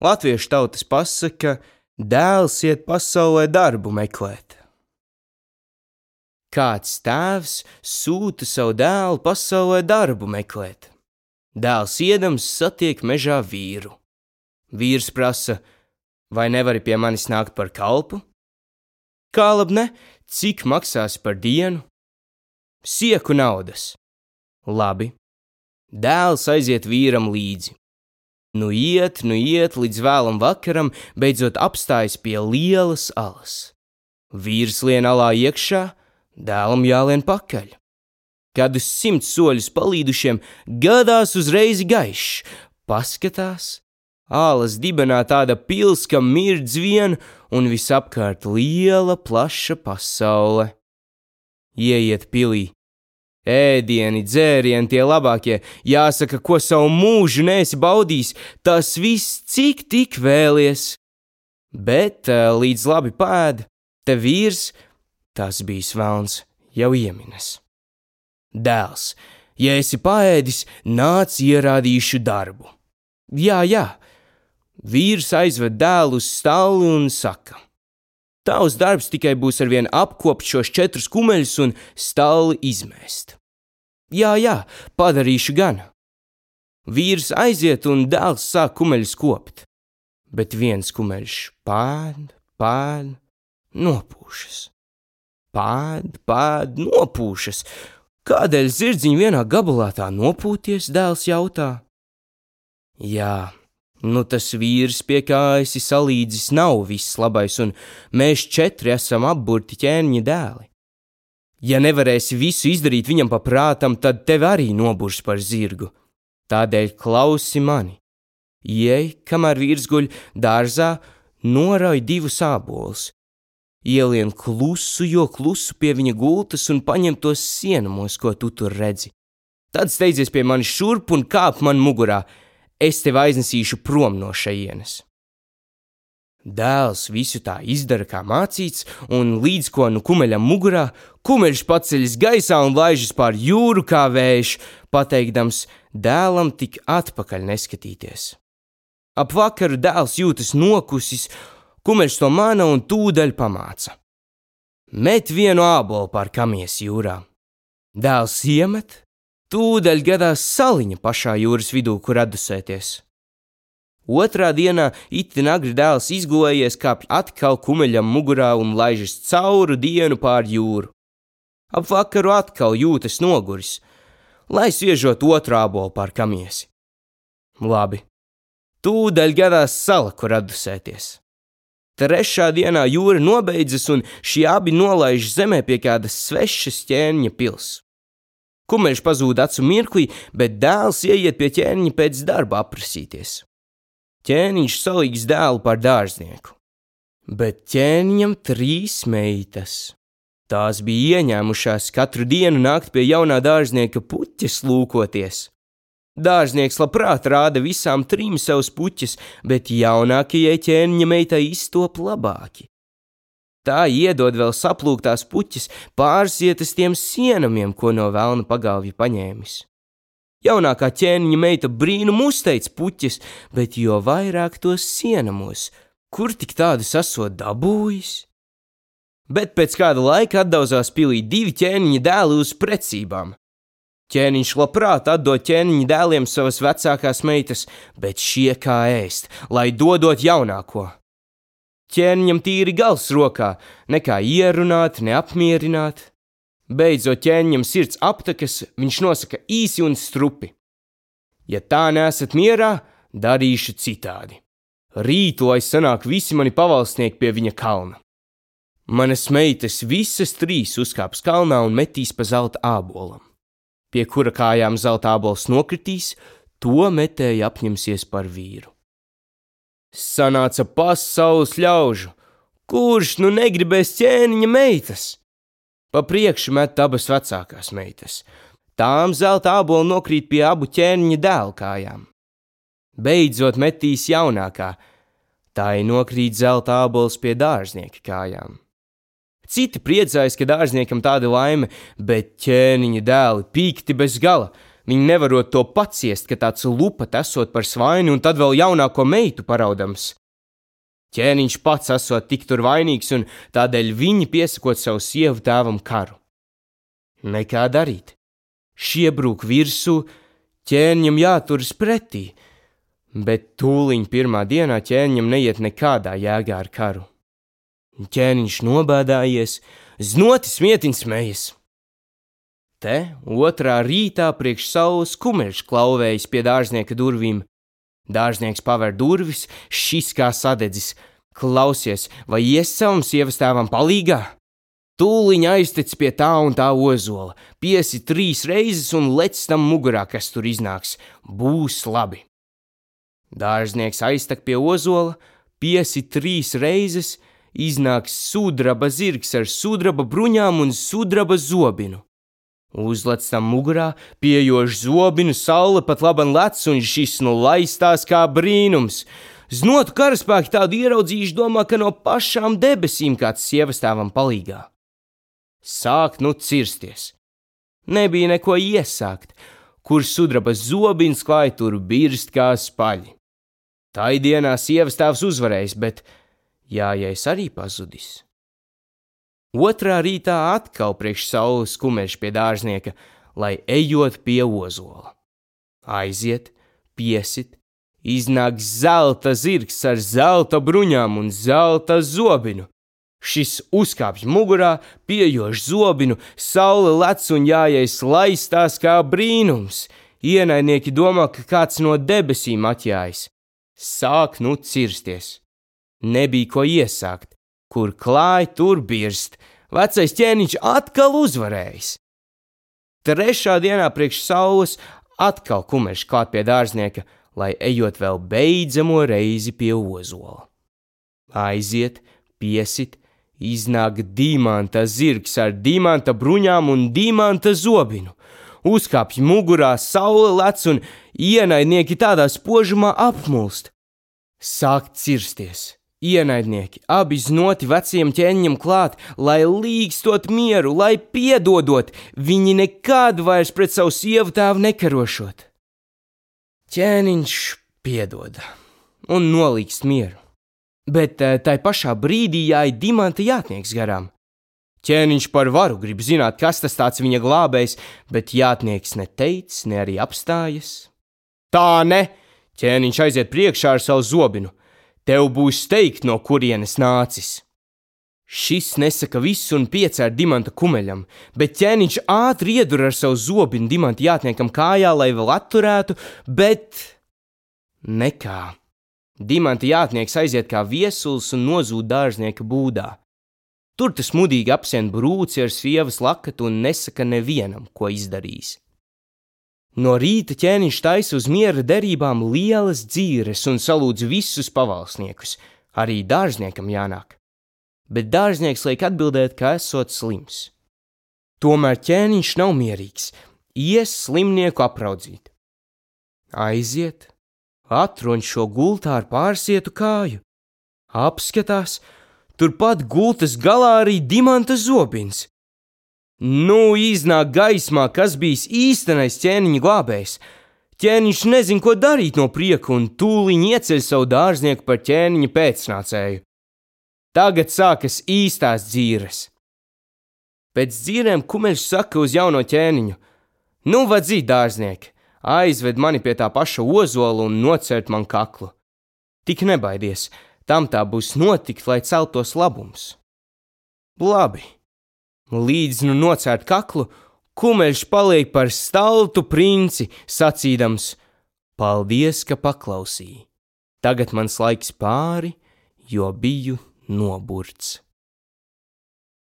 Latviešu tautas pasaka, dēls iet pasaulē darbu meklēt. Kāds tēvs sūta savu dēlu pasaulē darbu meklēt. Dēls iedams satiek mežā vīru. Vīrs prasa, vai nevari pie manis nākt par kalpu? Kā lab ne, cik maksās par dienu? Sieku naudas. Labi. Dēls aiziet vīram līdzi. Nu iet līdz vēlam vakaram, beidzot apstājas pie lielas alas. Vīrs lien alā iekšā, dēlam jālien pakaļ. Kad uz 100 soļus palīdušiem gadās uzreiz gaišs, paskatās, alas dibenā tāda pils, ka mirdz vien un visapkārt liela, plaša pasaule. Ieiet pilī. Ēdieni, dzērieni tie labākie, jāsaka, ko savu mūžu neesi baudījis, tas viss cik tik vēlies. Bet līdz labi pēd, te vīrs, tas bijis velns, jau ieminas. Dēls, ja esi paēdis, nāc ierādīšu darbu. Jā, vīrs aizved dēlu uz stalli un saka, tavs darbs tikai būs arvien apkopt šos 4 kumeļus un stalli izmēst. Jā, padarīšu gan. Vīrs aiziet un dēls sāk kumeļus kopt, bet viens kumeļš pēd, nopūšas. Pēd, nopūšas. Kādēļ zirdziņi vienā gabalā tā nopūties, dēls jautā? Jā, nu tas vīrs, pie kā esi salīdzis, nav viss labais, un mēs 4 esam apburti ķēniņa dēli. Ja nevarēsi visu izdarīt viņam pa prātam, tad tevi arī noburs par zirgu. Tādēļ klausi mani. Iej, kamēr vīrs guļ dārzā, norauj 2 ābolus. Ielien klusu, jo klusu pie viņa gultas un paņem tos sienamos, ko tu tur redzi. Tad steidzies pie manis šurp un kāp man mugurā. Es tevi aiznesīšu prom no šejienes. Dēls visu tā izdara, kā mācīts, un līdz ko nu kumeļam mugurā, kumeļš paceļas gaisā un laižas pār jūru kā vējš, pateikdams dēlam tik atpakaļ neskatīties. Ap vakaru dēls jūtas nokusis, kumeļš to mana un tūdaļ pamāca. Met vienu ābolu pār kamies jūrā. Dēls iemet, tūdaļ gadās saliņa pašā jūras vidū, kur atdusēties. Otrā dienā itin agri dēls izgulējies, kāpj atkal kumeļam mugurā un laižas cauru dienu pār jūru. Ap vakaru atkal jūtas noguris, lai sviežot otru ābolu pār kamiesi. Labi, tūdaļ gadās sala, kur atdusēties. Trešā dienā jūra nobeidzas un šie abi nolaiž zemē pie kādas svešas ķēniņa pils. Kumeļš pazūd acu mirklī, bet dēls ieiet pie ķēniņa pēc darba aprasīties. Ķēniņš salīgs dēlu par dārznieku, bet ķēniņam 3 meitas. Tās bija ieņēmušās katru dienu nākt pie jaunā dārznieka puķes lūkoties. Dārznieks labprāt rāda visām 3 savus puķes, bet jaunākajai ķēniņa meitai iztop labāki. Tā iedod vēl saplūktās puķes, pārsietas tiem sienamiem, ko no velna pagalvja paņēmis. Jaunākā ķēniņa meita brīnumu uzteic puķes, bet jo vairāk tos sienamos, kur tik tādu esot dabūjis? Bet pēc kāda laika atdauzās pilī 2 ķēniņa dēli uz precībām. Ķēniņš labprāt atdod ķēniņa dēliem savas vecākās meitas, bet šie kā ēst, lai dodot jaunāko. Ķēniņam tīri gals rokā, nekā ierunāt, ne apmierināt. Beidzot ķēniņam sirds aptakas, viņš nosaka īsi un strupi. Ja tā neesat mierā, darīšu citādi. Rīt, lai sanāk visi mani pavalstnieki pie viņa kalna. Manas meitas visas 3 uzkāps kalnā un metīs pa zelta ābolam. Pie kura kājām zelta ābols nokritīs, to metēji apņemsies par vīru. Sanāca pasaules ļaužu, kurš nu negribēs ķēniņa meitas? Pa priekšu met abas vecākās meitas. Tām zelta āboli nokrīt pie abu ķēniņa dēlu kājām. Beidzot metīs jaunākā, tai nokrīt zelta ābols pie dārznieka kājām. Citi priecājas, ka dārzniekam tāda laime, bet ķēniņa dēli pīkti bez gala. Viņi nevarot to paciest, ka tāds lupat esot par svaini un tad vēl jaunāko meitu paraudams. Ķēniņš pats esot tik tur vainīgs un tādēļ viņi piesakot savu sievu tēvam karu. Nekā darīt. Šie brūk virsū, ķēniņam jāturas pretī, bet tūliņ pirmā dienā ķēniņam neiet nekādā jēgā ar karu. Ķēniņš nobēdājies, znoti smietiņ smejas. Te otrā rītā priekš saules kumeļš klauvējas pie dārznieka durvīm. Dārznieks paver durvis, šis kā sadedzis. Klausies, vai ies savam sievas tēvam palīgā? Tūliņ aiztec pie tā un tā ozola, piesi 3 reizes un lec tam mugurā, kas tur iznāks. Būs labi. Dārznieks aiztek pie ozola, piesi 3 reizes, iznāks sudraba zirgs ar sudraba bruņām un sudraba zobinu. Uzlec tam mugurā, piejož zobinu, saule pat laban lec un šis nu laistās kā brīnums. Znotu karaspēki tādu ieraudzījuši, domā, ka no pašām debesīm kāds sievas tēvam palīgā. Sāk nu cirsties. Nebija neko iesākt, kur sudraba zobins klāj tur birst kā spaļi. Tai dienā sievas tēvs uzvarējis, bet jājais arī pazudis. Otrā rītā atkal priekš saules kumeļš pie dārznieka, lai ejot pie ozola. Aiziet, piesit, iznāk zelta zirgs ar zelta bruņām un zelta zobinu. Šis uzkāpj mugurā, piejož zobinu, saule lec un jājais laistās kā brīnums. Ienaidnieki domā, ka kāds no debesīm atjājas. Sāk nu cirsties. Nebija ko iesākt. Kur klāj, tur birst. Vecais ķēniņš atkal uzvarējis. Trešā dienā priekš saules atkal kumeļš klāt pie dārznieka, lai ejot vēl beidzamo reizi pie ozola. Aiziet, piesit, iznāk dimanta zirgs ar dimanta bruņām un dimanta zobinu. Uzkāpj mugurā, saule lec un ienaidnieki tādā spožumā apmulst. Sāk cirsties. Ienaidnieki, abi znoti veciem ķēniņam klāt, lai līgstot mieru, lai piedodot, viņi nekad vairs pret savu sievu tēvu nekarošot. Ķēniņš piedoda un nolīgst mieru, bet tai pašā brīdī jāj dimanta jātnieks garām. Ķēniņš par varu grib zināt, kas tas tāds viņa glābējs, bet jātnieks ne teic, ne arī apstājas. Tā ne! Ķēniņš aiziet priekšā ar savu zobinu. Tev būs teikt, no kurienes nācis. Šis nesaka visu un piecēr dimanta kumeļam, bet ķēniņš ātri iedur ar savu zobinu dimanta jātniekam kājā, lai vēl atturētu, bet nekā. Dimanta jātnieks aiziet kā viesulis un nozūd dārznieka būdā. Tur tas mudīgi apsien brūci ar sievas lakatu un nesaka nevienam, ko izdarījis. No rīta ķēniņš taisa uz miera derībām lielas dzīres un salūdz visus pavalsniekus, arī dārzniekam jānāk. Bet dārznieks liek atbildēt, ka esot slims. Tomēr ķēniņš nav mierīgs, ies slimnieku apraudzīt. Aiziet, atroņ šo gultā ar pārsietu kāju, apskatās, turpat gultas galā arī dimanta zobins. Nu, iznāk gaismā, kas bijis īstenais ķēniņa glābējs. Ķēniņš nezin, ko darīt no prieka un tūliņ ieceļ savu dārznieku par ķēniņa pēcnācēju. Tagad sākas īstās dzīres. Pēc dzīrēm kumeļš saka uz jauno ķēniņu: Nu, vadzīt, dārznieki, aizved mani pie tā paša ozola un nocert man kaklu. Tik nebaidies, tam tā būs notikt, lai celtos labums. Labi. Līdz nu nocērt kaklu, kumeļš paliek par staltu princi, sacīdams: Paldies, ka paklausīji. Tagad mans laiks pāri, jo biju noburts.